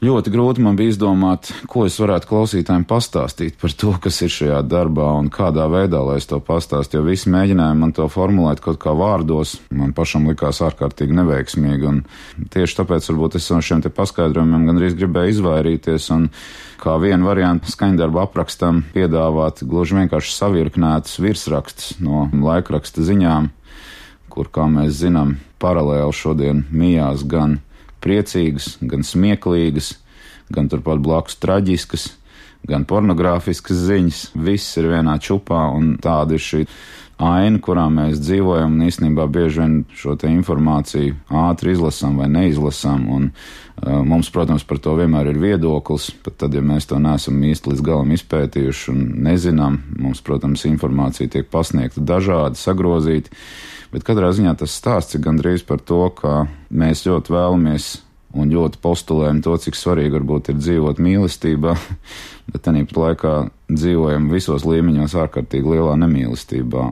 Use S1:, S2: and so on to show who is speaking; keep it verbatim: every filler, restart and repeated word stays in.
S1: Ļoti grūti man bija izdomāt, ko es varētu klausītājiem pastāstīt par to, kas ir šajā darbā un kādā veidā, lai es to pastāstu, jo visi mēģināja man to formulēt kaut kā vārdos, man pašam likās ārkārtīgi neveiksmīgi, un tieši tāpēc varbūt es no šiem te paskaidrojumiem gandrīz gribēju izvairīties, un kā vienu variantu skaņdarba aprakstam piedāvāt gluži vienkārši savirknētus virsrakstus no laikraksta ziņām, kur, kā mēs zinām, paralēli šodien mijās gan priecīgas, gan smieklīgas, gan turpat blakus traģiskas, gan pornogrāfiskas ziņas. Viss ir vienā čupā, un tāda ir šī aina, kurā mēs dzīvojam, un īstenībā bieži vien šo te informāciju ātri izlasām vai neizlasām, un uh, mums, protams, par to vienmēr ir viedoklis, pat tad, ja mēs to neesam īsti līdz galam izpētījuši un nezinām, mums, protams, informācija tiek pasniegta dažādi, sagrozīti, bet katrā ziņā tas stāsts ir gandrīz par to, ka mēs ļoti vēlamies un ļoti postulējam to, cik svarīgi varbūt ir dzīvot mīlestībā, bet tāpat laikā dzīvojam visos līmeņos ārkārtīgi lielā nemīlestībā.